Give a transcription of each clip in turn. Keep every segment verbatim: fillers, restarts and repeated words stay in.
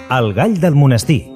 El gall del monestir.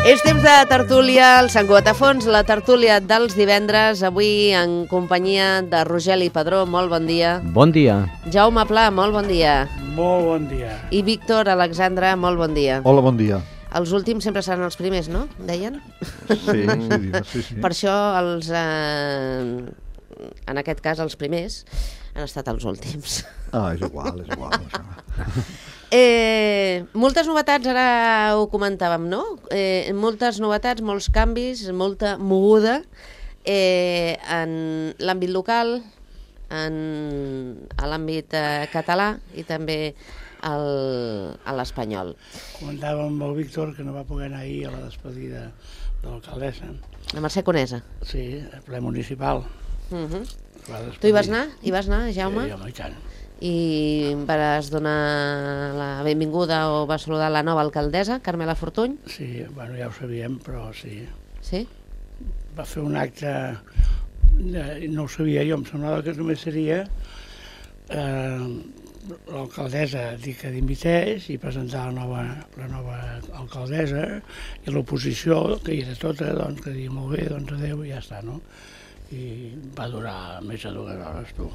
És temps de tertúlia, el Sant Cugat a fons, la tertúlia dels divendres, avui en companyia de Rogeli Padró, molt bon dia. Bon dia. Jaume Pla, molt bon dia. Molt bon dia. I Víctor Alexandre, molt bon dia. Hola, bon dia. Els últims sempre seran els primers, no? Deien? Sí, sí, sí, sí. Per això els, eh, en aquest cas els primers han estat els últims. Ah, és igual, és igual. Això. Eh, moltes novetats, ara ho comentàvem, no? Eh, moltes novetats, molts canvis, molta moguda eh, en l'àmbit local, en, a l'àmbit eh, català i també el, a l'espanyol. Comentàvem amb el Víctor que no va poder anar ahir a la despedida de l'alcaldessa. La Mercè Conesa. Sí, el ple municipal. Uh-huh. Va Tu hi vas anar? Hi vas anar, Jaume? Sí, home, i tant. I vas donar la benvinguda o vas saludar la nova alcaldessa, Carmela Fortuny? Sí, bueno, ja ho sabíem, però sí. Sí? Va fer un acte, de, no ho sabia jo, em semblava que només seria eh, l'alcaldessa dir que dimités i presentar la nova, la nova alcaldessa i l'oposició, que hi era tota, doncs, que dia molt bé, doncs adéu i ja està, no? I va durar més de dues hores, tu.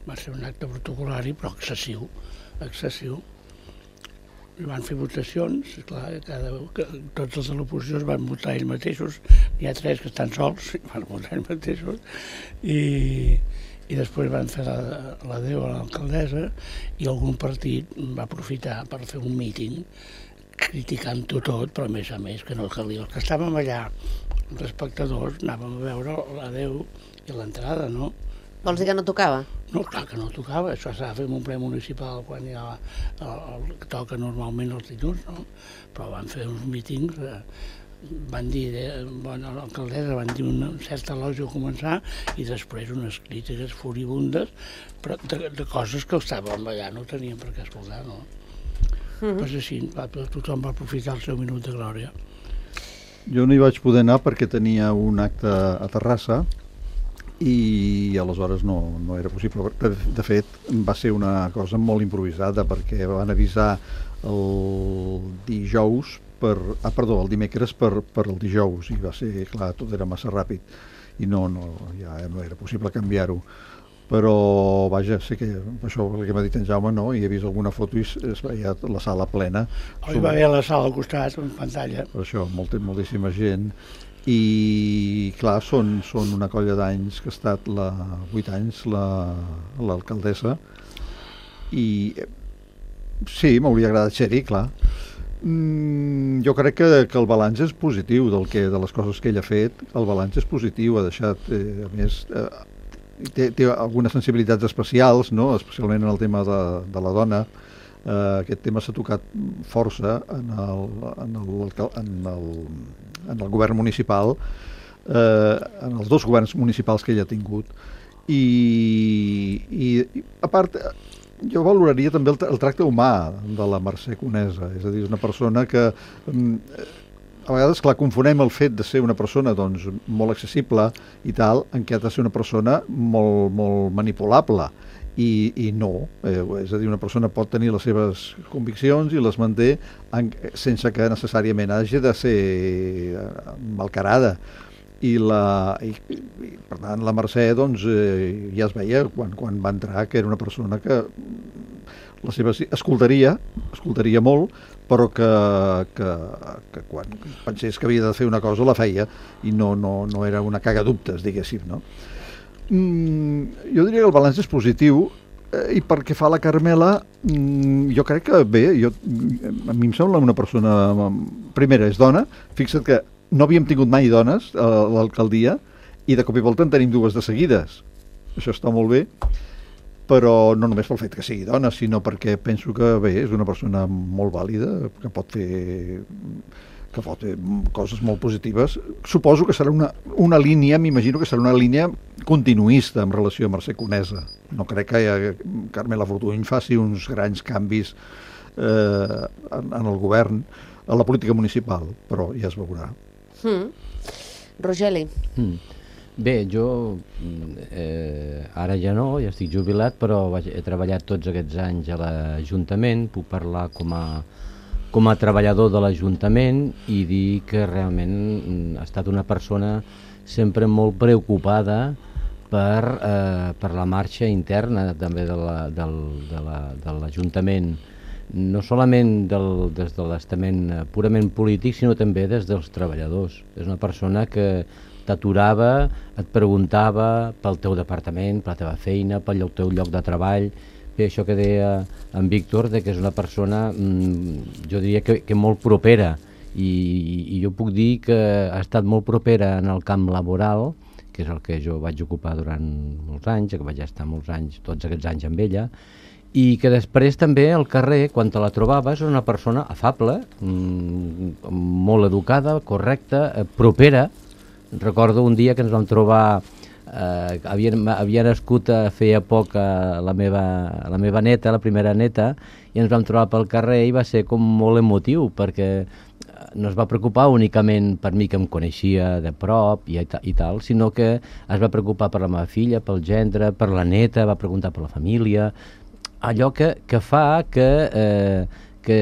Va ser un acte protocolari, però excessiu, excessiu. I van fer votacions, clar, cada, que, tots els de l'oposició van votar ells mateixos, n'hi ha tres que estan sols, van votar ells mateixos, i, i després van fer l'adéu a l'alcaldessa i algun partit va aprofitar per fer un míting criticant-ho tot, però a més a més que no calia. Els que estàvem allà, els espectadors, anàvem a veure l'adéu i l'entrada, no? Vols dir que no tocava? No, clar que no tocava, això s'ha de fer en un ple municipal quan hi ha el, el que toca normalment els dilluns, no? Però van fer uns mítings, eh, van dir, eh, bueno, l'alcaldessa van dir una certa elogi a començar i després unes crítiques furibundes, però de, de coses que estàvem allà, no teníem per què escoltar, no? Mm-hmm. Pues així, va, tothom va aprofitar el seu minut de glòria. Jo no hi vaig poder anar perquè tenia un acte a Terrassa i aleshores no, no era possible. De, de fet, va ser una cosa molt improvisada perquè van avisar el dijous per, ah, perdó, el dimecres per, per el dijous i va ser, clar, tot era massa ràpid i no, no, ja no era possible canviar-ho. Però, vaja, sé que això que m'ha dit en Jaume, no? I he vist alguna foto i es veia la sala plena. Hi va haver la sala al costat, en pantalla. Per això, molt, moltíssima gent. I, clar, són, són una colla d'anys que ha estat la, vuit anys l'alcaldessa i sí, m'hauria agradat ser-hi, clar. Mm, jo crec que, que el balanç és positiu del que, de les coses que ell ha fet. El balanç és positiu, ha deixat, eh, a més, eh, té, té algunes sensibilitats especials, no? Especialment en el tema de, de la dona. Uh, aquest tema s'ha tocat força en el, en el, en el, en el govern municipal, uh, en els dos governs municipals que ell ha tingut. I, i, i a part, jo valoraria també el, el tracte humà de la Mercè Conesa, és a dir, és una persona que um, a vegades, clar, confonem el fet de ser una persona doncs, molt accessible i tal, en què ha de ser una persona molt, molt manipulable. I, i no, eh, és a dir, una persona pot tenir les seves conviccions i les manté en, sense que necessàriament hagi de ser malcarada. I, la, i, i per tant la Mercè doncs, eh, ja es veia quan, quan va entrar que era una persona que la seva, escoltaria, escoltaria molt, però que, que, que quan pensés que havia de fer una cosa la feia i no, no, no era una cagadubtes, diguéssim, no? Mm, jo diria que el balanç és positiu eh, i pel que fa a la Carmela mm, jo crec que bé jo, a mi em sembla una persona primera és dona, fixa't que no havíem tingut mai dones a l'alcaldia i de cop i volta en tenim dues de seguides. Això està molt bé, però no només pel fet que sigui dona, sinó perquè penso que bé, és una persona molt vàlida, que pot fer que pot fer coses molt positives. Suposo que serà una, una línia, m'imagino que serà una línia continuista en relació a Mercè Conesa. No crec que Carmela Fortuny faci uns grans canvis eh, en, en el govern, a la política municipal, però ja es veurà. Mm. Rogeli. Mm. Bé, jo eh, ara ja no, ja estic jubilat, però vaig, he treballat tots aquests anys a l'Ajuntament, puc parlar com a, com a treballador de l'Ajuntament i dir que realment ha estat una persona sempre molt preocupada per, eh, per la marxa interna també de la, del, de la, de l'Ajuntament, no solament del, des de l'estament purament polític, sinó també des dels treballadors. És una persona que t'aturava, et preguntava pel teu departament, per la teva feina, pel teu lloc de treball. Bé, això que deia en Víctor, de que és una persona, mmm, jo diria que, que molt propera, i, i jo puc dir que ha estat molt propera en el camp laboral, que és el que jo vaig ocupar durant molts anys, que vaig estar molts anys, tots aquests anys amb ella, i que després també al carrer, quan te la trobaves, era una persona afable, mmm, molt educada, correcta, eh, propera. Recordo un dia que ens vam trobar, eh, havia, havia nascut a feia poc a la, meva, la meva neta, la primera neta, i ens vam trobar pel carrer i va ser com molt emotiu, perquè no es va preocupar únicament per mi, que em coneixia de prop i, i tal, sinó que es va preocupar per la meva filla, pel gendre, per la neta, va preguntar per la família, allò que, que fa que, eh, que,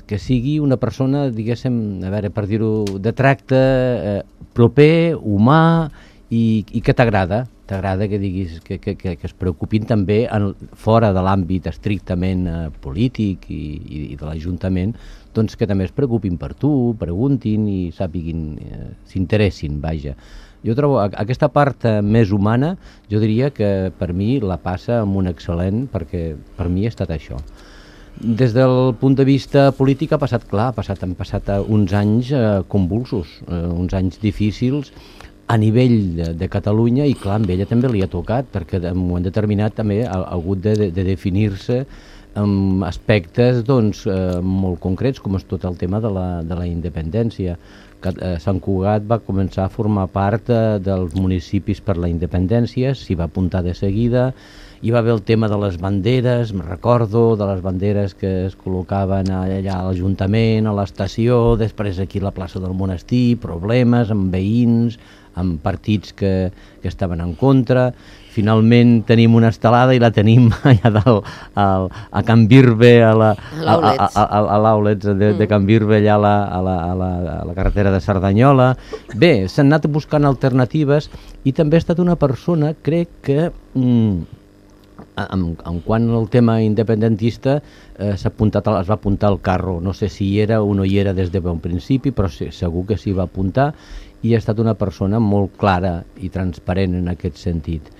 que sigui una persona, diguéssim, a veure, per dir-ho, de tracte eh, proper, humà i, i que t'agrada, t'agrada que diguis que, que, que, que es preocupin també en, fora de l'àmbit estrictament eh, polític i, i, i de l'Ajuntament, doncs que també es preocupin per tu, preguntin i sàpiguin, eh, s'interessin, vaja. Jo trobo aquesta part més humana, jo diria que per mi la passa amb un excel·lent, perquè per mi ha estat això. Des del punt de vista polític ha passat, clar, ha passat, han passat uns anys eh, convulsos, eh, uns anys difícils a nivell de, de Catalunya, i clar, amb ella també li ha tocat, perquè en un moment determinat també ha, ha hagut de, de, de definir-se amb aspectes doncs, eh, molt concrets, com és tot el tema de la, de la independència. Sant Cugat va començar a formar part eh, dels municipis per la independència, s'hi va apuntar de seguida, hi va haver el tema de les banderes, me'n recordo, de les banderes que es col·locaven allà a l'Ajuntament, a l'estació, després aquí a la plaça del Monestir, problemes amb veïns, amb partits que, que estaven en contra. Finalment tenim una estelada i la tenim allà dalt, al, a Can Virbe, a l'Aulets de, de Can Virbe, allà a la, a, la, a, la, a la carretera de Cerdanyola. Bé, s'han anat buscant alternatives i també ha estat una persona, crec que, mm, en, en quant al tema independentista, eh, s'ha apuntat, es va apuntar al carro. No sé si hi era o no hi era des de bon principi, però sí, segur que s'hi va apuntar, i ha estat una persona molt clara i transparent en aquest sentit.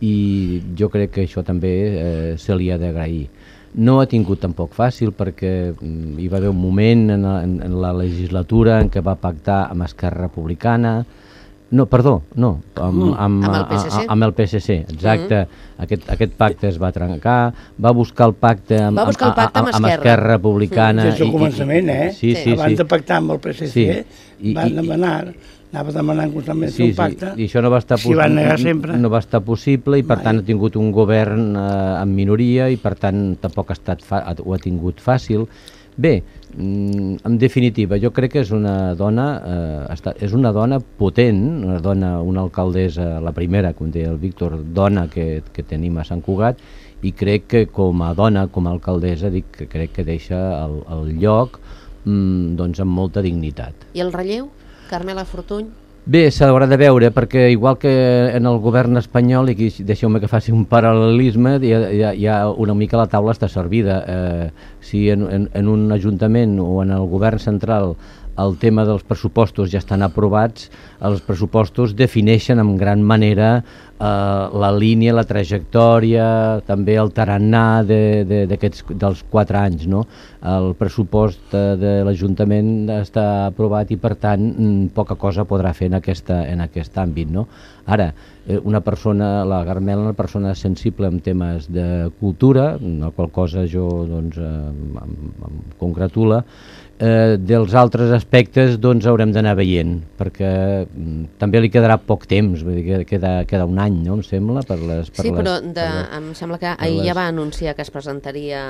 I jo crec que això també eh, se li ha d'agrair. No ha tingut tampoc fàcil, perquè mm, hi va haver un moment en, en, en la legislatura en què va pactar amb Esquerra Republicana, no, perdó, no, amb, amb, amb, el P S C. amb el P S C, exacte, mm-hmm. aquest, aquest pacte es va trencar, va buscar el pacte amb, va buscar el pacte amb, amb, amb Esquerra Republicana. Des del començament, eh? Sí, sí, abans sí. de pactar amb el P S C, sí. van demanar... anava demanant constantment sí, un pacte, sí. I això no va estar s'hi van negar sempre. No va estar possible i per Mai. tant ha tingut un govern eh, en minoria i per tant tampoc ha estat fa ho ha tingut fàcil. Bé, mm, en definitiva, jo crec que és una dona eh, està, és una dona potent, una dona, una alcaldessa, la primera, com deia el Víctor, dona que, que tenim a Sant Cugat, i crec que com a dona, com a alcaldessa, dic que crec que deixa el, el lloc mm, doncs amb molta dignitat. I el relleu? Carmela Fortuny? Bé, s'haurà de veure, perquè igual que en el govern espanyol, i deixeu-me que faci un paral·lelisme, hi ha, hi ha una mica la taula està servida. Eh, si en, en, en un ajuntament o en el govern central el tema dels pressupostos ja estan aprovats, els pressupostos defineixen en gran manera eh, la línia, la trajectòria, també el tarannà de, de, d'aquests, dels quatre anys, no? El pressupost de, de l'Ajuntament està aprovat i, per tant, poca cosa podrà fer en, aquesta, en aquest àmbit, no? Ara, una persona, la Carmela, una persona sensible en temes de cultura, la qual cosa jo doncs, em, em congratula. Eh, dels altres aspectes doncs haurem d'anar veient, perquè mm, també li quedarà poc temps, vull dir, queda, queda un any, no, em sembla, per les... Per sí, les, però de, per les, em sembla que ahir les... ja va anunciar que es presentaria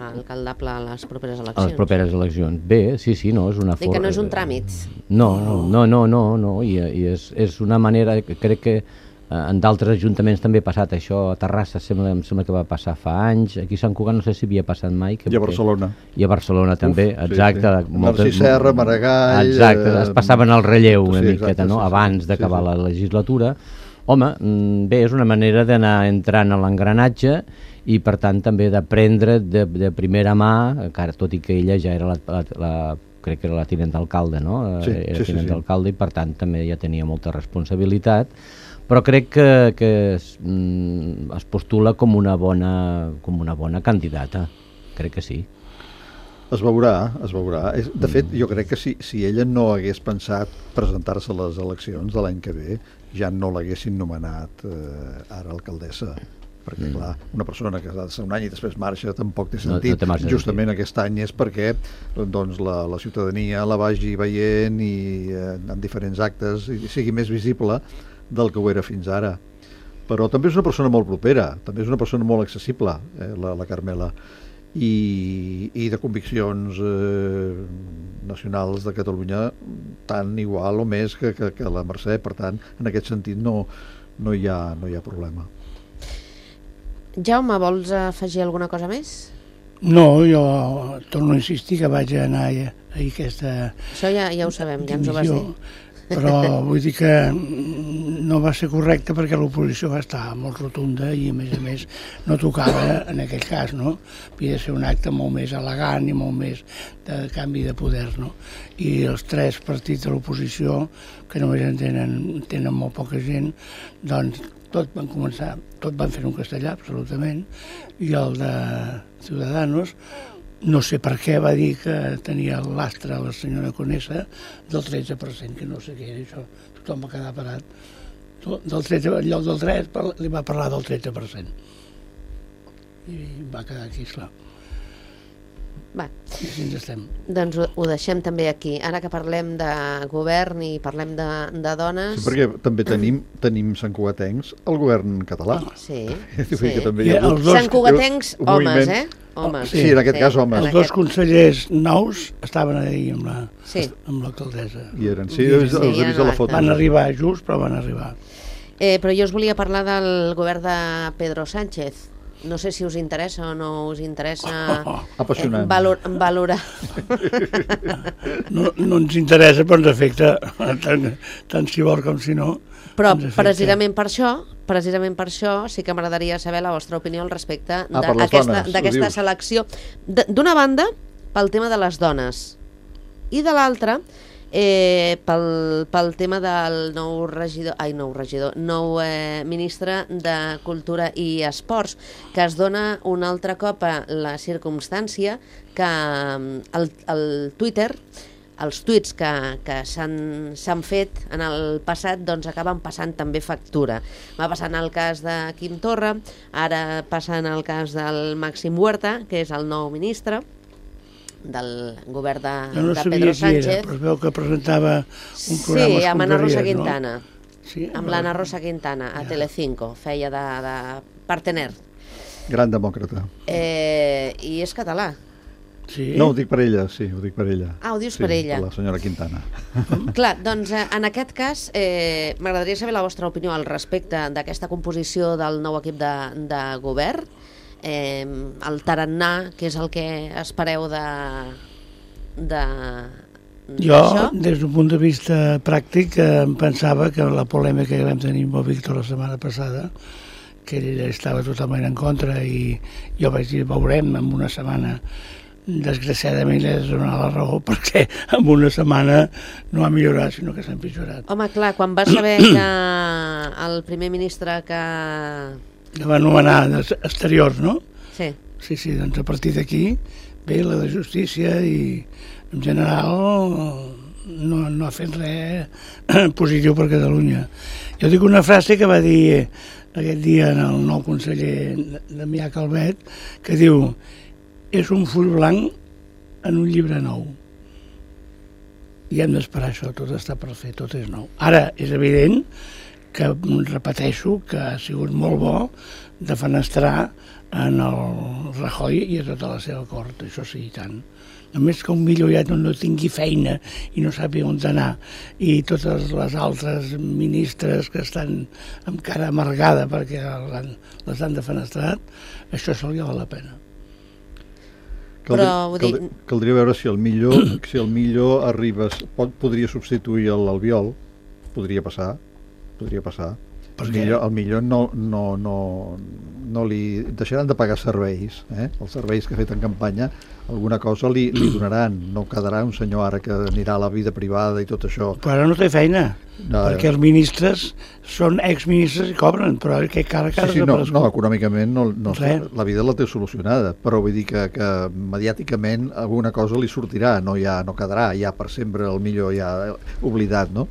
alcaldable a les properes eleccions. A les properes eleccions. Bé, sí, sí, no, és una forma... I que no és un tràmit. No, no, no, no, no, no i, i és, és una manera, crec que en d'altres ajuntaments també ha passat això, a Terrassa sembla, em sembla que va passar fa anys, aquí a Sant Cugat no sé si havia passat mai. Que, I a Barcelona. I a Barcelona també, Uf, exacte. Sí, sí. Narcís Serra, Maragall... Exacte, eh, es passaven el relleu una sí, miqueta, exacte, no?, sí, abans sí, d'acabar sí, sí. la legislatura. Home, bé, és una manera d'anar entrant a l'engranatge i, per tant, també d'aprendre de, de primera mà, encara tot i que ella ja era la, la, la crec que era la tinent d'alcalde, no? Sí, era sí, tinent sí, sí. d'alcalde i, per tant, també ja tenia molta responsabilitat, però crec que, que es, mm, es postula com una bona, com una bona candidata, crec que sí. Es veurà, es veurà. De fet, jo crec que si, si ella no hagués pensat presentar-se a les eleccions de l'any que ve, ja no l'haguessin nomenat eh, ara alcaldessa. Perquè, mm. clar, una persona que ha de ser un any i després marxa tampoc té sentit. No, no té Justament sentit. Aquest any és perquè doncs, la, la ciutadania la vagi veient i eh, en diferents actes i sigui més visible del que ho era fins ara. Però també és una persona molt propera, també és una persona molt accessible, eh, la, la Carmela, i, i de conviccions eh, nacionals de Catalunya tan igual o més que, que, que la Mercè, per tant, en aquest sentit no, no, hi ha, no hi ha problema. Jaume, vols afegir alguna cosa més? No, jo torno a insistir que vaig anar a, a aquesta... Això ja, ja ho sabem, ja ens ho vas dir. Però vull dir que no va ser correcte perquè l'oposició va estar molt rotunda i a més a més no tocava en aquell cas, no? Havia de ser un acte molt més elegant i molt més de canvi de poder, no? I els tres partits de l'oposició, que només en tenen, tenen molt poca gent, doncs tot van començar, tot van fer un castellà, absolutament, i el de Ciudadanos, no sé per què va dir que tenia l'astre a la senyora Conesa del tretze per cent, que no sé què era això, tothom va quedar parat. Del tretze, en lloc del tres li va parlar del tretze per cent. I va quedar aquí, esclar. Va. I així ens estem. Doncs ho, ho deixem també aquí. Ara que parlem de govern i parlem de, de dones... Sí, perquè també tenim, tenim santcugatencs al govern català. Sí, sí. sí. Que també hi ha els dos, santcugatencs homes, eh? Homes. Sí, en aquest sí, cas homes. Els dos consellers nous estaven ahir amb la, sí. amb l'alcaldessa. I eren, sí, els, els he vist a la foto. Van arribar just, però van arribar. Eh, però jo us volia parlar del govern de Pedro Sánchez. No sé si us interessa o no us interessa oh, oh, eh, valor, valorar. No, no ens interessa, però ens afecta tant, tant si vol com si no. Però precisament per això, precisament per això sí que m'agradaria saber la vostra opinió al respecte ah, d'aquesta selecció. D'una banda, pel tema de les dones, i de l'altra, Eh, pel, pel tema del nou regidor, ai, nou regidor, nou eh, ministre de Cultura i Esports, que es dona un altre cop a la circumstància que el, el Twitter, els tuits que, que s'han fet en el passat, doncs acaben passant també factura. Va passar en el cas de Quim Torra, ara passa en el cas del Màxim Huerta, que és el nou ministre del govern de, no de Pedro Sánchez. Era, però es veu que presentava un programa. Sí, amb Ana Rosa Quintana. No? Sí, amb l'Anna Rosa Quintana, a ja. Telecinco, feia de, de partener. Gran demòcrata. Eh, I és català. Sí. No, ho dic per ella, sí, ho dic per ella. Ah, ho dius sí, per ella. Per la senyora Quintana. Clar, doncs en aquest cas eh, m'agradaria saber la vostra opinió al respecte d'aquesta composició del nou equip de, de govern. Eh, el tarannà, que és el que espereu de, de jo, des d'un punt de vista pràctic, eh, em pensava que la polèmica que vam tenir amb el Víctor la setmana passada, que ell estava totalment en contra, i jo vaig dir, veurem en una setmana desgraciadament he de donar la raó, perquè en una setmana no ha millorat, sinó que s'ha empitjorat. Home, clar, quan vas saber que el primer ministre que... Que va anomenar exteriors, no? Sí. Sí, sí, doncs a partir d'aquí ve la de justícia i en general no, no ha fet res positiu per Catalunya. Jo dic una frase que va dir aquest dia en el nou conseller Damià Calvet, que diu: és un full blanc en un llibre nou. I hem d'esperar això, tot està per fer, tot és nou. Ara, és evident que, repeteixo, que ha sigut molt bo defenestrar en el Rajoy i a tota la seva cort, això sí, i tant. Només que un milloriat no tingui feina i no sàpiga on anar, i totes les altres ministres que estan amb cara amargada perquè les han defenestrat, això se li val la pena. Caldria, Però, vull dir... caldria, caldria veure si el millor, si el millor arriba, pot, podria substituir l'Albiol, podria passar, podria passar. El millor, el millor no, no, no, no li deixaran de pagar serveis, eh? Els serveis que ha fet en campanya, alguna cosa li, li donaran, no quedarà un senyor ara que anirà a la vida privada i tot això. Però ara no té feina, no, perquè els ministres són exministres i cobren, però que cara cara... Sí, sí, no, no, econòmicament no, no, la vida la té solucionada, però vull dir que, que mediàticament alguna cosa li sortirà, no, ja, no quedarà ja per sempre el millor ja oblidat, no?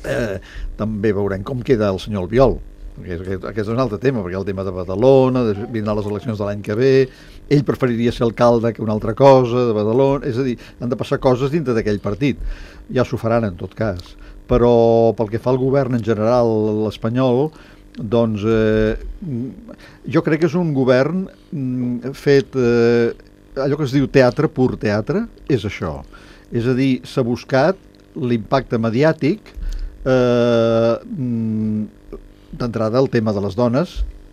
Eh, també veurem com queda el senyor Albiol, perquè aquest, aquest és un altre tema, perquè el tema de Badalona, de, vindran les eleccions de l'any que ve, ell preferiria ser alcalde que una altra cosa de Badalona, és a dir, han de passar coses dintre d'aquell partit, ja s'ho faran en tot cas, però pel que fa al govern en general, l'espanyol, doncs eh, jo crec que és un govern fet, eh, allò que es diu teatre, pur teatre, és això, és a dir, s'ha buscat l'impacte mediàtic. Eh, d'entrada el tema de les dones,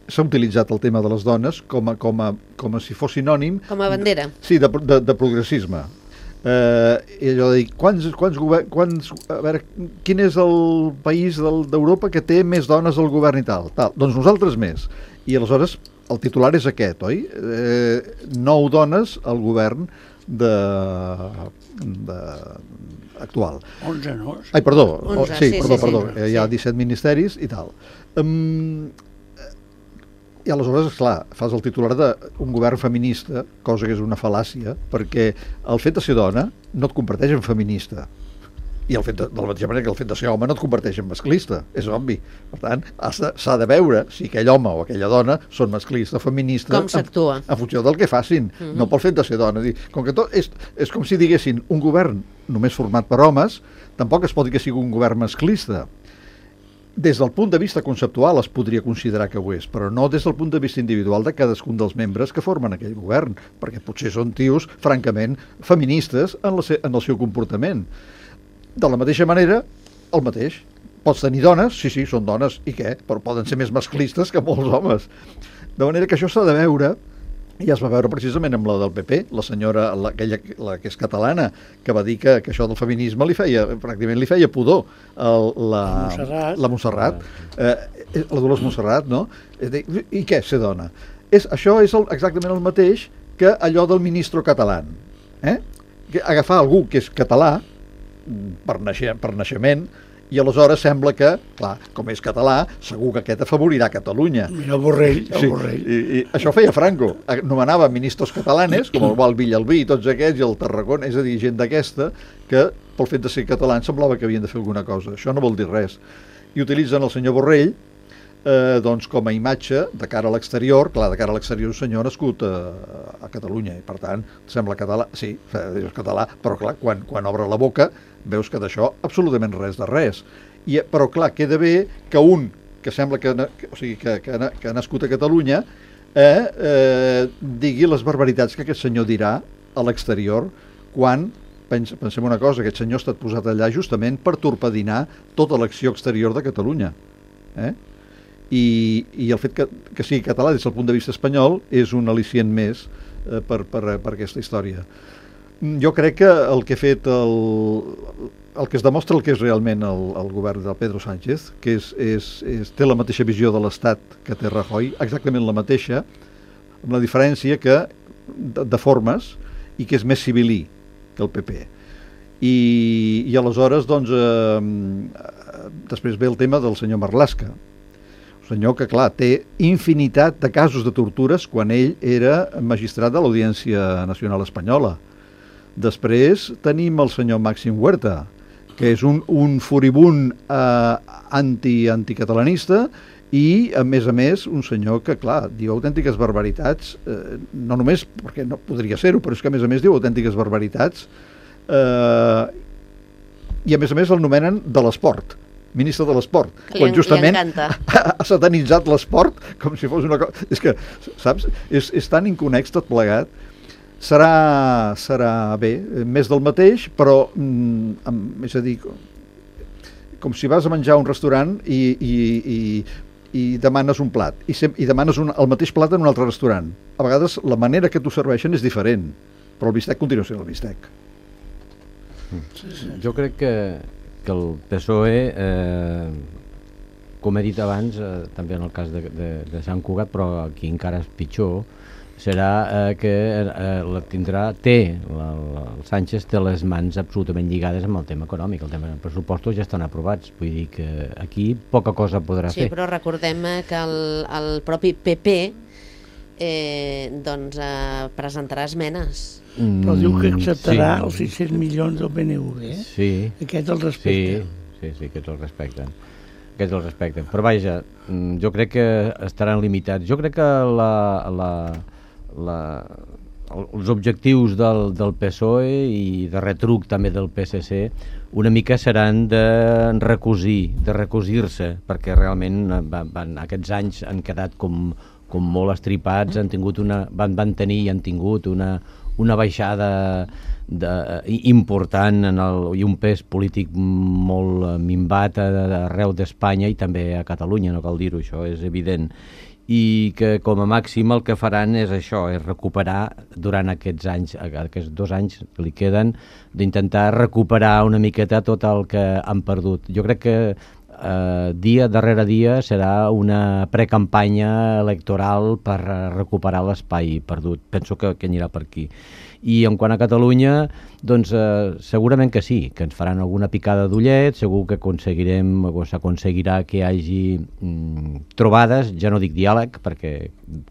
s'ha utilitzat el tema de les dones com a, com a, com a si fos sinònim com a bandera, sí, de, de, de progressisme, eh, i allò de dir, quants, quants, quants, a veure, quin és el país d'Europa que té més dones al govern i tal, tal, doncs nosaltres més, i aleshores el titular és aquest, oi? Eh, nou dones al govern de, de actual. onze, no? Ai, perdó, onze, sí, sí, perdó, sí, perdó, sí. hi ha disset ministeris i tal. Um, I aleshores, esclar, fas el titular d'un govern feminista, cosa que és una fal·làcia, perquè el fet de ser dona no et converteix en feminista. I el fet de, de la mateixa manera que el fet de ser home no et converteix en masclista, és obvi. Per tant, s'ha de veure si aquell home o aquella dona són masclista o feminista com s'actua en, en funció del que facin, mm-hmm. no pel fet de ser dona. Dir, com que tot és, és com si diguessin un govern només format per homes, tampoc es pot dir que sigui un govern masclista. Des del punt de vista conceptual es podria considerar que ho és, però no des del punt de vista individual de cadascun dels membres que formen aquell govern, perquè potser són tios, francament, feministes en, la, en el seu comportament. De la mateixa manera, el mateix. Pots tenir dones, sí, sí, són dones, i què? Però poden ser més masclistes que molts homes. De manera que això s'ha de veure, i ja es va veure precisament amb la del P P, la senyora, la, aquella la que és catalana, que va dir que, que això del feminisme li feia, pràcticament li feia pudor. El, la, Montserrat. La Montserrat, eh, la Dolors Montserrat, no? I què, ser dona? És, això és el, exactament el mateix que allò del ministro català. Eh? Que agafar algú que és català, per, naixer, per naixement, i aleshores sembla que, clar, com és català, segur que aquest afavorirà Catalunya. Mira el Borrell, el sí, Borrell. I, i això feia Franco, nomenava ministres catalanes, com el Val Villalbí i tots aquests, i el Tarragona, és a dir, gent d'aquesta, que pel fet de ser catalans semblava que havien de fer alguna cosa. Això no vol dir res. I utilitzen el senyor Borrell eh, doncs com a imatge de cara a l'exterior, clar, de cara a l'exterior un senyor nascut a, a Catalunya, i per tant, sembla català, sí, és català, però clar, quan, quan obre la boca, veus que d'això absolutament res de res. I, però clar, queda bé que un que sembla que, que, o sigui, que, que, que ha nascut a Catalunya eh, eh, digui les barbaritats que aquest senyor dirà a l'exterior quan, pens, pensem una cosa, aquest senyor ha estat posat allà justament per torpedinar tota l'acció exterior de Catalunya. Eh? I, i el fet que, que sigui català des del punt de vista espanyol és un al·licient més eh, per, per, per aquesta història. Jo crec que el que ha fet el, el que es demostra el que és realment el, el govern del Pedro Sánchez, que és, és, és, té la mateixa visió de l'Estat que té Rajoy, exactament la mateixa, amb la diferència que de, de formes i que és més civilí que el P P. I, i aleshores, doncs, eh, després ve el tema del senyor Marlaska. Un senyor que, clar, té infinitat de casos de tortures quan ell era magistrat de l'Audiència Nacional Espanyola. Després tenim el senyor Màxim Huerta, que és un, un furibund eh, anti, anticatalanista i, a més a més, un senyor que, clar, diu autèntiques barbaritats, eh, no només perquè no podria ser-ho, però és que, a més a més, diu autèntiques barbaritats eh, i, a més a més, el nomenen de l'esport, ministre de l'esport, quan justament ha satanitzat l'esport com si fos una cosa... És que, saps, és, és tan inconex tot plegat. Serà, serà bé, més del mateix, però, mm, amb, és a dir, com si vas a menjar a un restaurant i, i, i, i demanes un plat, i, sem i demanes un, el mateix plat en un altre restaurant. A vegades la manera que t'ho serveixen és diferent, però el bistec continua sent el bistec. Jo crec que, que el P S O E, eh, com he dit abans, eh, també en el cas de, de, de Sant Cugat, però aquí encara és pitjor, serà eh, que eh, la tindrà, té, la, la, el Sánchez té les mans absolutament lligades amb el tema econòmic, el tema dels pressupostos ja estan aprovats, vull dir que aquí poca cosa podrà sí, fer. Sí, però recordem que el, el propi P P eh, doncs, eh, presentarà esmenes. Mm, però diu que acceptarà sí. els sis-cents milions del B N V, eh? Sí. Aquest el respecten. Sí, sí, sí, aquests el respecten. Aquests el respecten. Però vaja, jo crec que estaran limitats. Jo crec que la... la La, els objectius del, del P S O E i de retruc també del P S C una mica seran de recosir, de recosir-se, perquè realment van, van, aquests anys han quedat com, com molt estripats, han tingut una, van, van tenir i han tingut una, una baixada de, important en el, i un pes polític molt minvat arreu d'Espanya i també a Catalunya, no cal dir-ho, això és evident. I que com a màxim el que faran és això, és recuperar durant aquests anys, aquests dos anys que li queden, d'intentar recuperar una miqueta tot el que han perdut. Jo crec que eh, dia darrere dia serà una precampanya electoral per recuperar l'espai perdut. Penso que, que anirà per aquí. I en quant a Catalunya, doncs eh, segurament que sí, que ens faran alguna picada d'ullet, segur que aconseguirem o s'aconseguirà que hi hagi mm, trobades, ja no dic diàleg, perquè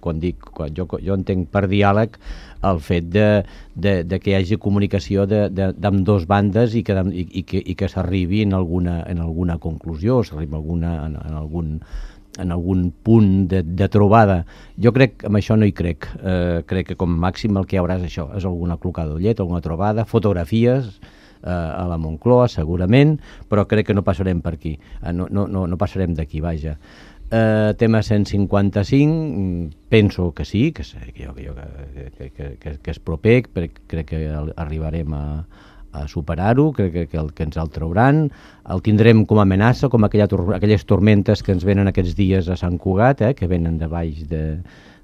quan dic, quan jo, jo entenc per diàleg el fet de, de, de que hi hagi comunicació d'ambdós bandes i que, i, i que, i que s'arribi en alguna, en alguna conclusió, s'arribi alguna, en, en algun en algun punt de, de trobada. Jo crec, amb això no hi crec. Eh, crec que com màxim el que hi haurà és això, és alguna clocada d'ullet, alguna trobada, fotografies eh, a la Moncloa, segurament, però crec que no passarem per aquí. Eh, no, no, no, no passarem d'aquí, vaja. Eh, tema cent cinquanta-cinc, penso que sí, que, que, jo, que, que, que, que és proper, crec que arribarem a a superar-ho, crec que, que, el, que ens el trauran, el tindrem com a amenaça, com aquella, aquelles tormentes que ens venen aquests dies a Sant Cugat, eh, que venen de baix de,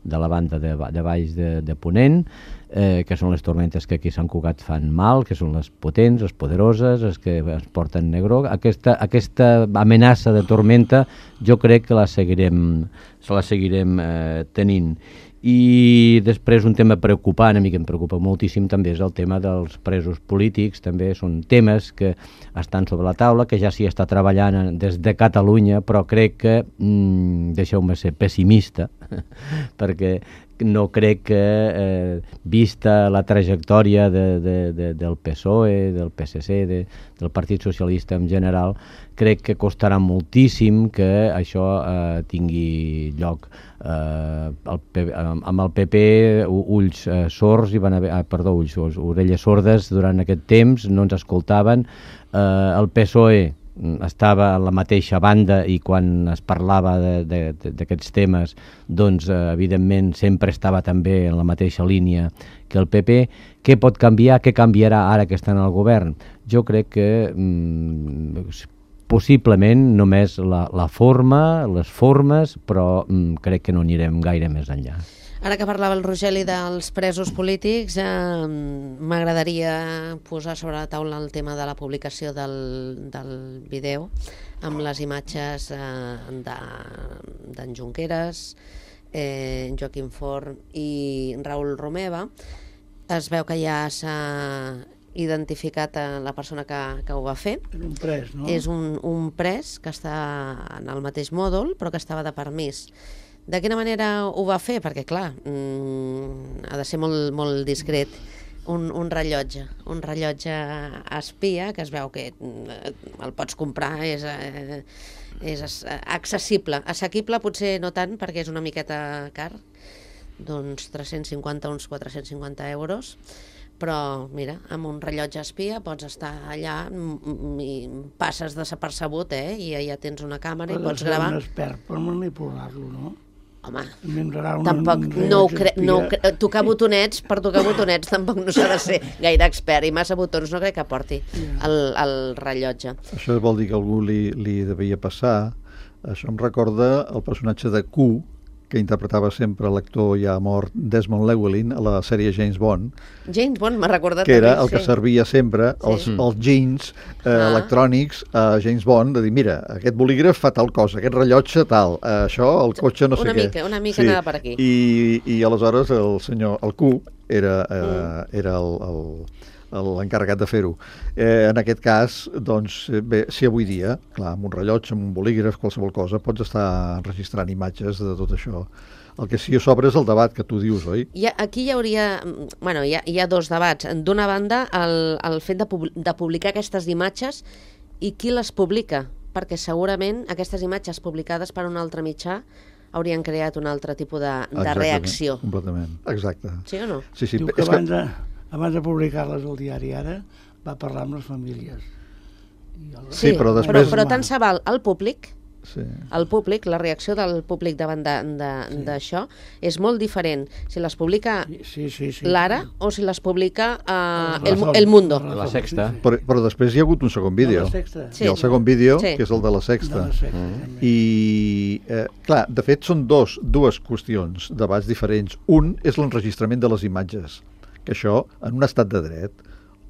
de la banda de, de baix de, de Ponent, eh, que són les tormentes que aquí a Sant Cugat fan mal, que són les potents, les poderoses, les que es porten negro. Aquesta, aquesta amenaça de tormenta jo crec que la seguirem, se la seguirem eh, tenint. I després un tema preocupant, a mi que em preocupa moltíssim també és el tema dels presos polítics, també són temes que estan sobre la taula, que ja s'hi està treballant des de Catalunya, però crec que, mm, deixeu-me ser pessimista, perquè no crec que, eh, vista la trajectòria de, de, de, del P S O E, del P S C, de, del Partit Socialista en general, crec que costarà moltíssim que això eh, tingui lloc. Eh, el P P, amb el P P ulls eh, sords i van haver, ah, perdó, ulls sords, orelles sordes durant aquest temps, no ens escoltaven. Eh, el P S O E estava a la mateixa banda i quan es parlava d'aquests temes, doncs eh, evidentment sempre estava també en la mateixa línia que el P P. Què pot canviar? Què canviarà ara que estan al govern? Jo crec que mm, possiblement només la, la forma, les formes, però mm, crec que no anirem gaire més enllà. Ara que parlava el Rogeli dels presos polítics, eh, m'agradaria posar sobre la taula el tema de la publicació del, del vídeo amb les imatges eh, d'en Junqueras, eh, Joaquim Forn i Raül Romeva. Es veu que ja s'ha identificat a la persona que, que ho va fer. És un pres, no? És un, un pres que està en el mateix mòdul, però que estava de permís. De quina manera ho va fer? Perquè, clar, mmm, ha de ser molt, molt discret. Un, un rellotge, un rellotge espia, que es veu que el pots comprar, és, eh, és accessible. Assequible potser no tant, perquè és una miqueta car, d'uns tres-cents cinquanta, uns quatre-cents cinquanta euros, però mira, amb un rellotge espia pots estar allà i passes desapercebut, eh? I ja tens una càmera i pots gravar. Però un expert per manipular-lo, no? Home, una, tampoc, no ho cre... No ho cre... tocar botonets, per tocar botonets tampoc no s'ha de ser gaire expert, i massa botons no crec que porti el, el rellotge. Això vol dir que algú li, li devia passar. Això em recorda el personatge de Q, que interpretava sempre l'actor ja mort Desmond Llewellyn a la sèrie James Bond. James Bond m'ha recordat que era també, el que sí. servia sempre Sí. els, els jeans eh, Ah. electrònics a James Bond, de dir, mira, aquest bolígraf fa tal cosa, aquest rellotge tal, eh, això, el cotxe no sé Una què. mica, una mica anava per aquí. I, i aleshores el senyor, el Q, era, eh, era el, el, l'encarregat de fer-ho. Eh, en aquest cas, doncs, bé, si avui dia, clar, amb un rellotge, amb un bolígraf, qualsevol cosa, pots estar enregistrant imatges de tot això. El que sí que s'obre és el debat que tu dius, oi? Hi ha, aquí hi hauria... Bueno, hi ha, hi ha dos debats. D'una banda, el, el fet de, pub, de publicar aquestes imatges i qui les publica, perquè segurament aquestes imatges publicades per un altre mitjà haurien creat un altre tipus de, de Exactament, reacció. Completament, exacte. Sí o no? Sí, sí. Diu que És abans de, abans de publicar-les al diari Ara va parlar amb les famílies. I el... Sí, però després- Però, però tant se val al públic, Sí. el públic, la reacció del públic davant d'això sí. és molt diferent si les publica sí, sí, sí, l'Ara sí. o si les publica uh, La el, Razón, el Mundo. la Razón, La Sexta. sí, sí. Però, però després hi ha hagut un segon vídeo. De la Sexta. Sí. I el segon vídeo, Sí. que és el de la Sexta. De la Sexta, també. I, eh, clar, de fet, són dos, dues qüestions, debats diferents. Un és l'enregistrament de les imatges, que això, en un estat de dret,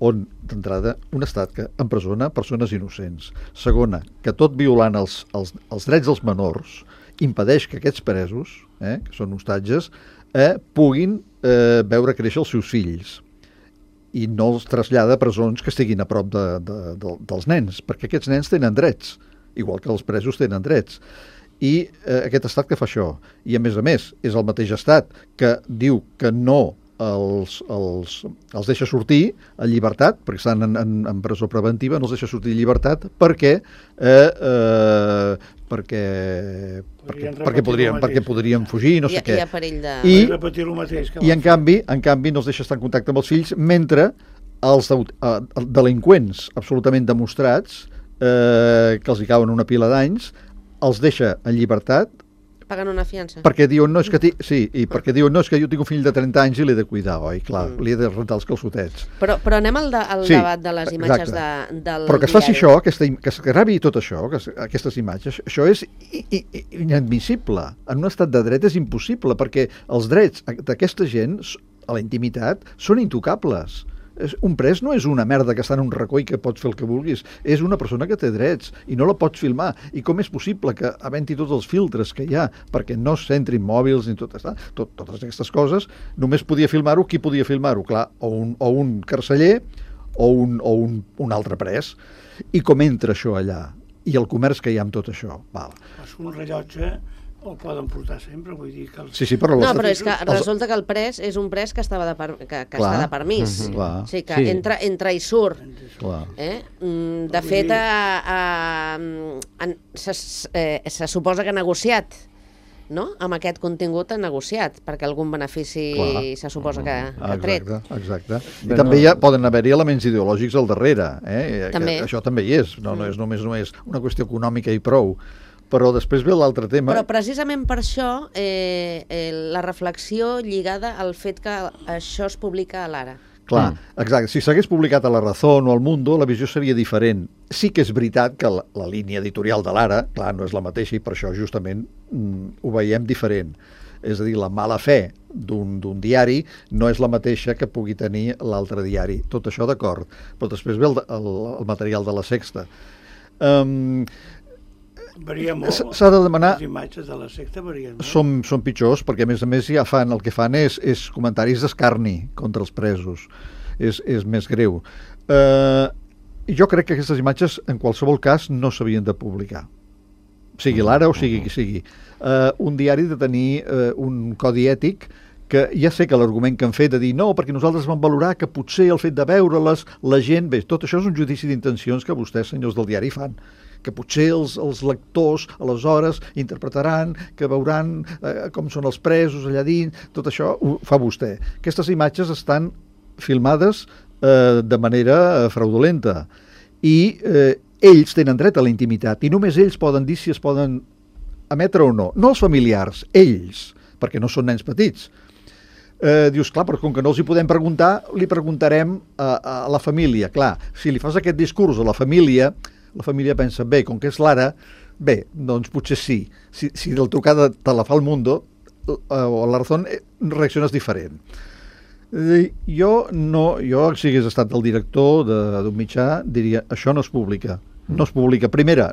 on, d'entrada, un estat que empresona persones innocents. Segona, que tot violant els, els, els drets dels menors impedeix que aquests presos, eh, que són hostatges, eh, puguin eh, veure créixer els seus fills i no els trasllada a presons que estiguin a prop de, de, de, dels nens, perquè aquests nens tenen drets, igual que els presos tenen drets. I eh, aquest estat que fa això, i a més a més, és el mateix estat que diu que no els, els, els deixa sortir a llibertat, perquè estan en, en, en presó preventiva, no els deixa sortir a llibertat perquè eh, eh, perquè perquè, perquè, podrien, perquè podrien fugir, no sé hi, què. hi ha perill de... I- I repetir el mateix que I va en fer. canvi, en canvi no els deixa estar en contacte amb els fills, mentre els deut- eh, delinqüents absolutament demostrats, eh, que els hi cauen una pila d'anys, els deixa en llibertat Pagant una fiança. perquè diuen, no, és que, ti... sí, i perquè diuen, no, és que jo tinc un fill de trenta anys i l'he de cuidar, oi? Clar, Mm. li he de rentar els calçotets. Però, però anem al, de, al Sí, debat de les imatges de, exacte. del Però que es faci diari. això, aquesta, im- que es gravi tot això, que es, aquestes imatges, això és i, i, i, inadmissible. En un estat de dret és impossible, perquè els drets d'aquesta gent s- a la intimitat són intocables. És, un pres no és una merda que està en un racó i que pots fer el que vulguis, és una persona que té drets i no la pots filmar. I com és possible que, havent-hi tots els filtres que hi ha perquè no s'entrin mòbils ni tot, està, tot, totes aquestes coses, només podia filmar-ho, qui podia filmar-ho? Clar, o un, o un carceller o un, o un, un altre pres. I com entra això allà? I el comerç que hi ha amb tot això? Val. És un rellotge el poden portar sempre, vull dir que... Els... Sí, sí, però... No, l'estat- però és que els- resulta que el pres és un pres que estava de, per, que, que Clar. està de permís. Mhm. Clar. O sigui, que Sí. entra, entra i surt. Clar. Eh? Mm, de Vull fet, dir- a, a, en, se, eh, se suposa que ha negociat, no? Amb aquest contingut ha negociat, perquè algun benefici Clar. se suposa que, que ha tret. Exacte, exacte. I Però també no- hi ha, poden haver-hi elements ideològics al darrere. Eh? També. Que això també hi és. No, no és només, només una qüestió econòmica i prou. Però després ve l'altre tema. Però precisament per això eh, eh, la reflexió lligada al fet que això es publica a l'Ara. Clar, Mm. exacte. Si s'hagués publicat a La Razón o al Mundo, la visió seria diferent. Sí que és veritat que la, la línia editorial de l'Ara, clar, no és la mateixa i per això justament mm, ho veiem diferent. És a dir, la mala fe d'un d'un diari no és la mateixa que pugui tenir l'altre diari. Tot això d'acord. Però després ve el, el, el material de la Sexta. Um, Varia molt. S'ha de demanar... Les imatges de la secta varien molt. Són, són pitjors, perquè a més a més ja fan, el que fan és, és comentaris d'escarni contra els presos. És, és més greu. Eh, jo crec que aquestes imatges, en qualsevol cas, no s'havien de publicar. Sigui l'Ara o sigui qui sigui. Eh, un diari de tenir eh, un codi ètic que ja sé que l'argument que han fet de dir no, perquè nosaltres vam valorar que potser el fet de veure-les, la gent... Bé, tot això és un judici d'intencions que vostès, senyors del diari, fan. Que potser els, els lectors, aleshores, interpretaran, que veuran eh, com són els presos allà dins, tot això ho fa vostè. Aquestes imatges estan filmades eh, de manera eh, fraudulenta i eh, ells tenen dret a la intimitat i només ells poden dir si es poden emetre o no. No els familiars, ells, perquè no són nens petits. Eh, dius, clar, però com que no els hi podem preguntar, li preguntarem a, a la família. Clar, si li fas aquest discurs a la família, la família pensa, bé, com que és l'Ara, bé, doncs potser sí. Si, si del trucada te la fa el Mundo, eh, o la Razón, eh, reacciones diferent. Eh, jo, no, jo, si hagués estat el director d'un mitjà, diria, això no es publica. No es publica. Primera,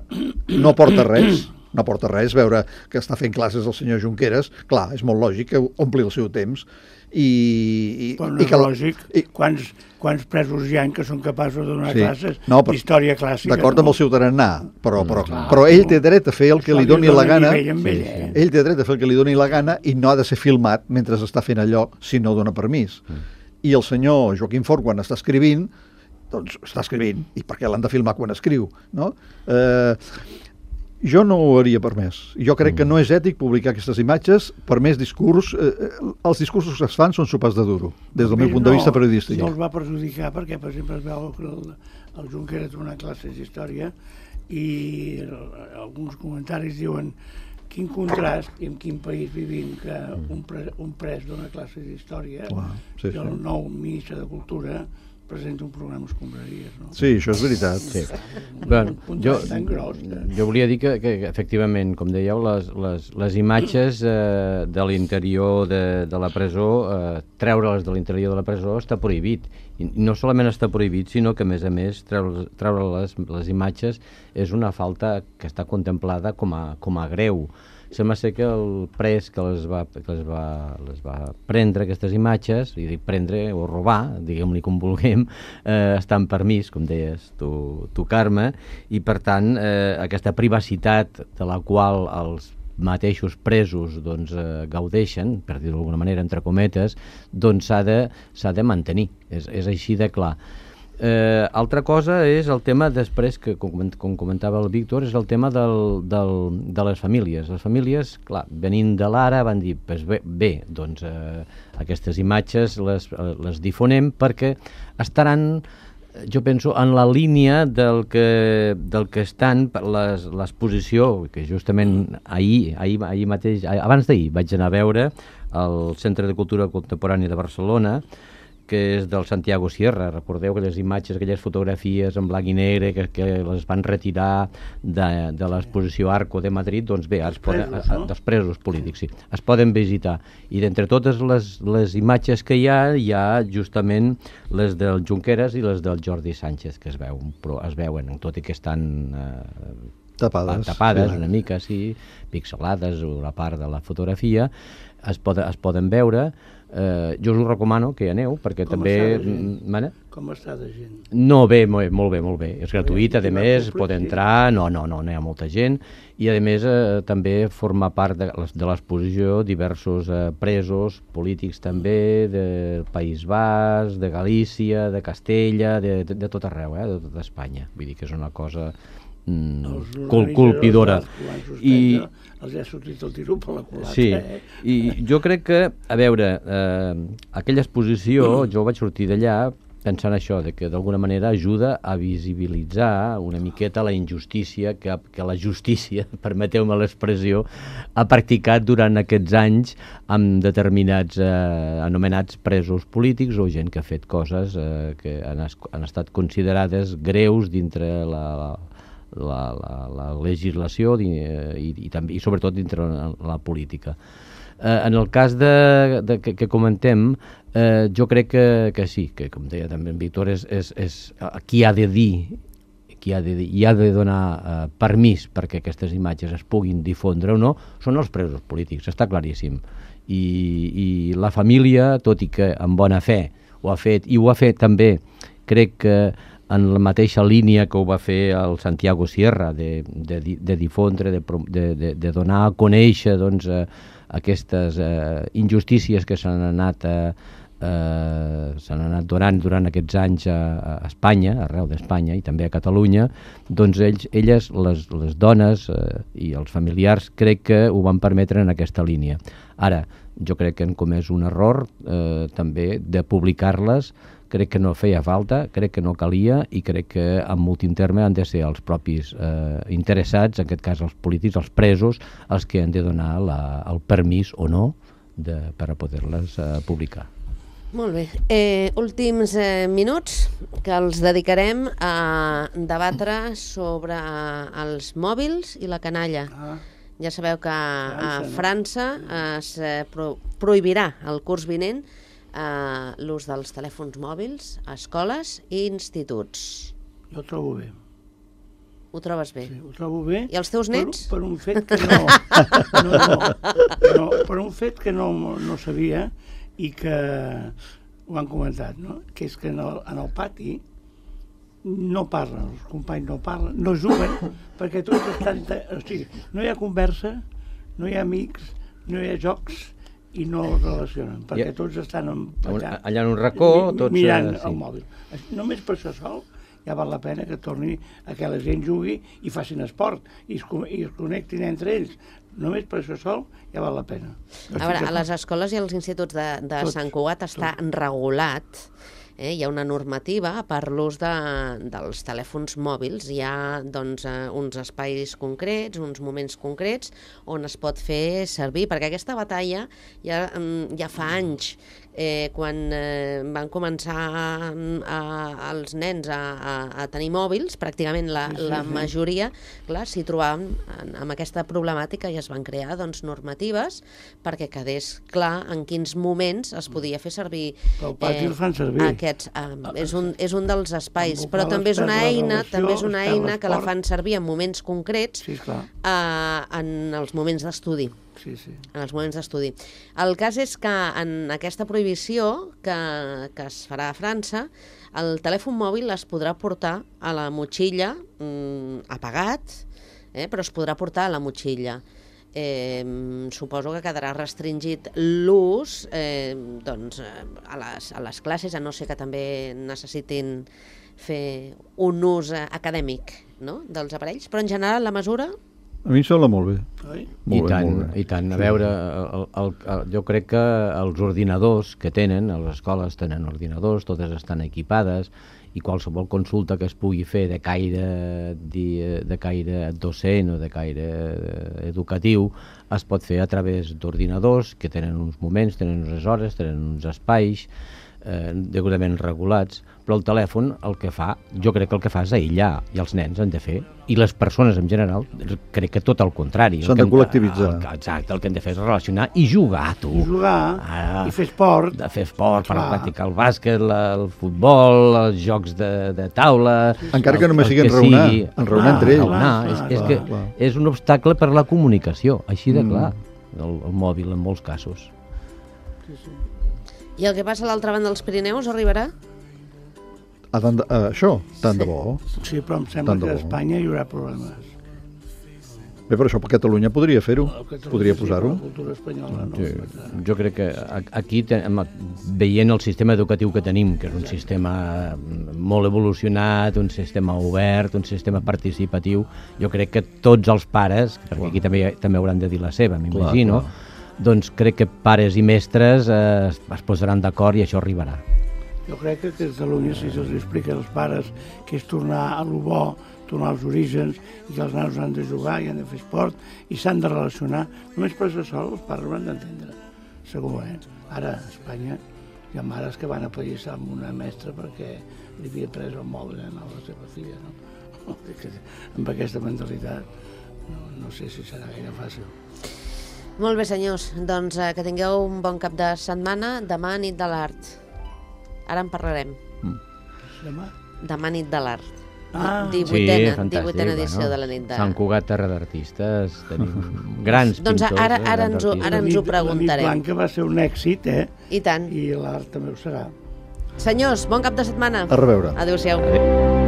no porta res, no porta res veure que està fent classes el senyor Junqueras. Clar, és molt lògic que ompli el seu temps. I, i, Però no i és que, lògic. I, quants, quants presos hi ha que són capaços de donar sí. classes no, però, d'història clàssica? D'acord no? amb el seu tarannà, però, però, Clar, però ell té dret a fer el que li doni la gana. Sí, sí. Ell té dret a fer el que li doni la gana i no ha de ser filmat mentre està fent allò si no dona permís. Mm. I el senyor Joaquim Forn, quan està escrivint, doncs està escrivint, i per què l'han de filmar quan escriu, no? Eh, jo no ho hauria permès. Jo crec que no és ètic publicar aquestes imatges per més discurs. Eh, els discursos que es fan són sopars de duro, des del Bé, meu punt de vista periodístic. No els va perjudicar perquè, per exemple, es veu que el, el Junqueras dona classes d'història i alguns comentaris diuen quin contrast i en quin país vivim que un, pre, un pres dona classes d'història sí, i el sí. nou ministre de Cultura presenta un programa escombraries, no? Sí, això és veritat. Sí. Un, Bueno, un jo, tan gros. Que... jo volia dir que, que efectivament, com dèieu, les, les, les imatges eh, de l'interior de, de la presó, eh, treure-les de l'interior de la presó està prohibit. I no solament està prohibit, sinó que, a més a més, treure, treure les, les imatges és una falta que està contemplada com a, com a greu. Sembla ser que el pres que les va, que les va, les va prendre, aquestes imatges, i dic prendre o robar, diguem-li com vulguem, eh, està en permís, com deies tu, tu Carme, i per tant eh, aquesta privacitat de la qual els mateixos presos doncs, eh, gaudeixen, per dir-ho d'alguna manera, entre cometes, doncs s'ha de, s'ha de mantenir. És, és així de clar. Eh, altra cosa és el tema després, que com, com comentava el Víctor, és el tema del, del, de les famílies. Les famílies, clar, venint de l'Ara, van dir, pues bé, bé doncs eh, aquestes imatges les, les difonem perquè estaran, jo penso, en la línia del que, del que estan l'exposició, que justament ahir, ahir, ahir mateix, abans d'ahir vaig anar a veure al Centre de Cultura Contemporània de Barcelona, que és del Santiago Sierra. Recordeu aquelles imatges, aquelles fotografies en blanc i negre que, que les van retirar de, de l'exposició Arco de Madrid, doncs bé, es poden, presos, no? dels presos polítics, sí, es poden visitar. I d'entre totes les, les imatges que hi ha, hi ha justament les del Junqueras i les del Jordi Sánchez, que es veuen, però es veuen, tot i que estan eh, tapades, tapades sí. una mica, sí, pixelades, o la part de la fotografia, es, poden, es poden veure. Eh, jo us ho recomano que hi aneu, perquè Com també... Està Com està de gent? No, bé, molt, molt bé, molt bé. És gratuït, a més, pot entrar, no, no, no, no hi ha molta gent, i a més eh, també forma part de, de l'exposició diversos eh, presos polítics també, del País Basc, de Galícia, de Castella, de, de, de tot arreu, eh, de tot Espanya. Vull dir que és una cosa mm, col colpidora. I els ha sortit el tiro per la culata. Sí, eh? i jo crec que, a veure, eh, aquella exposició, mm. jo vaig sortir d'allà pensant això, de que d'alguna manera ajuda a visibilitzar una miqueta la injustícia que, que la justícia, permeteu-me l'expressió, ha practicat durant aquests anys amb determinats eh, anomenats presos polítics o gent que ha fet coses eh, que han, es, han estat considerades greus dintre la... la La, la, la legislació i, i, i, també, i sobretot dintre la, la política. Eh, en el cas de, de, que, que comentem, eh, jo crec que, que sí, que com deia també en Víctor, és, és, és qui ha de dir qui ha de, hi ha de donar eh, permís perquè aquestes imatges es puguin difondre o no, són els presos polítics, està claríssim. I, i la família, tot i que amb bona fe ho ha fet, i ho ha fet també, crec que en la mateixa línia que ho va fer el Santiago Sierra, de, de, de difondre, de, de, de, de donar a conèixer doncs, eh, aquestes eh, injustícies que s'han anat, eh, eh, s'han anat donant durant aquests anys a, a Espanya, arreu d'Espanya i també a Catalunya, doncs ells, elles, les, les dones eh, i els familiars, crec que ho van permetre en aquesta línia. Ara, jo crec que han comès un error eh, també de publicar-les. Crec que no feia falta, crec que no calia i crec que en últim terme han de ser els propis eh, interessats, en aquest cas els polítics, els presos, els que han de donar la, el permís o no de, per a poder-les eh, publicar. Molt bé. Eh, últims eh, minuts que els dedicarem a debatre sobre els mòbils i la canalla. Ah. Ja sabeu que a França es eh, pro prohibirà el curs vinent Uh, l'ús dels telèfons mòbils a escoles i instituts. Jo ho trobo bé. Ho trobes bé? Sí, ho trobo bé. I els teus nets? Per, per un fet que no, no, no, no, per un fet que no, no sabia i que ho han comentat, no? Que és que en el, en el pati no parlen, els companys no parlen, no juguen, perquè tots estan... O sigui, no hi ha conversa, no hi ha amics, no hi ha jocs, i no es relacionen, perquè yeah. tots estan allà, allà en un racó, mi, tots, mirant uh, sí. el mòbil. Només per això sol ja val la pena que torni a que la gent jugui i facin esport i es, i es connectin entre ells. Només per això sol ja val la pena. A veure, a les escoles i als instituts de, de tots, Sant Cugat està tot. regulat. Eh, hi ha una normativa per l'ús de, dels telèfons mòbils. Hi ha doncs, eh, uns espais concrets, uns moments concrets on es pot fer servir, perquè aquesta batalla ja, ja fa anys, eh, quan eh, van començar a, a, els nens a, a, a tenir mòbils, pràcticament la, sí, sí, la sí. majoria clar, s'hi trobaven amb aquesta problemàtica i es van crear doncs, normatives perquè quedés clar en quins moments es podia fer servir. Però el pati el fan servir. Aquests, um, és, un, és un dels espais, però també és una eina, també és una eina que la fan servir en moments concrets, sí, uh, en els moments d'estudi. Sí, sí. En els moments d'estudi. El cas és que en aquesta prohibició que, que es farà a França, el telèfon mòbil es podrà portar a la motxilla mm, apagat, eh, però es podrà portar a la motxilla. Eh, suposo que quedarà restringit l'ús eh, doncs, a, les, a les classes, a no ser que també necessitin fer un ús acadèmic, no?, dels aparells, però en general la mesura... A mi em sembla molt bé. Oi? I tant, i tant. A veure, el, el, el, jo crec que els ordinadors que tenen, a les escoles tenen ordinadors, totes estan equipades, i qualsevol consulta que es pugui fer de caire, de, de caire docent o de caire educatiu es pot fer a través d'ordinadors que tenen uns moments, tenen unes hores, tenen uns espais eh, degudament regulats, però el telèfon el que fa, jo crec que el que fa és aïllar, i els nens han de fer, i les persones en general, crec que tot el contrari. S'han de col·lectivitzar. El, exacte, el que hem de fer és relacionar i jugar, tu. I jugar, ah, i fer esport. De fer esport, per practicar el bàsquet, la, el futbol, els jocs de, de taula... Encara el, que només sigui enraonar, sigui, enraonar entre ells. Enraonar, és, clar, és clar, que clar. és un obstacle per la comunicació, així de clar, mm. el, el mòbil en molts casos. Sí, sí. I el que passa a l'altra banda dels Pirineus arribarà? A tant de, a això, tant sí. de bo. Sí, però em sembla que a Espanya hi haurà problemes. Bé, però això per Catalunya podria fer-ho, podria posar-ho. Sí, la cultura espanyola no. Sí. Jo crec que aquí, veient el sistema educatiu que tenim, que és un sistema molt evolucionat, un sistema obert, un sistema participatiu, jo crec que tots els pares, perquè aquí també, també hauran de dir la seva, m'imagino, doncs crec que pares i mestres eh, es posaran d'acord i això arribarà. Jo crec que a Catalunya, si se'ls explica als pares que és tornar a lo bo, tornar als orígens, i que els nanos han de jugar i han de fer esport i s'han de relacionar, només per això sol els pares ho han d'entendre, segur, eh? Ara, a Espanya, hi ha mares que van a pallissar amb una mestra perquè li havia pres el mòbil a la seva filla, no? Amb aquesta mentalitat no, no sé si serà gaire fàcil. Molt bé, senyors, doncs eh, que tingueu un bon cap de setmana. Demà nit de l'art. Ara en parlarem. Demà? Demà nit de l'art. Ah, divuitena, fantàstic, divuitena edició bueno, de la nit de... Sant Cugat, terra d'artistes, tenim grans Doncs pintors. ara- ara grans ens ho- artistes. ara ens ho preguntarem. La nit blanca va ser un èxit, eh? I tant. I l'art també ho serà. Senyors, bon cap de setmana. A reveure. Adéu-siau. Adéu.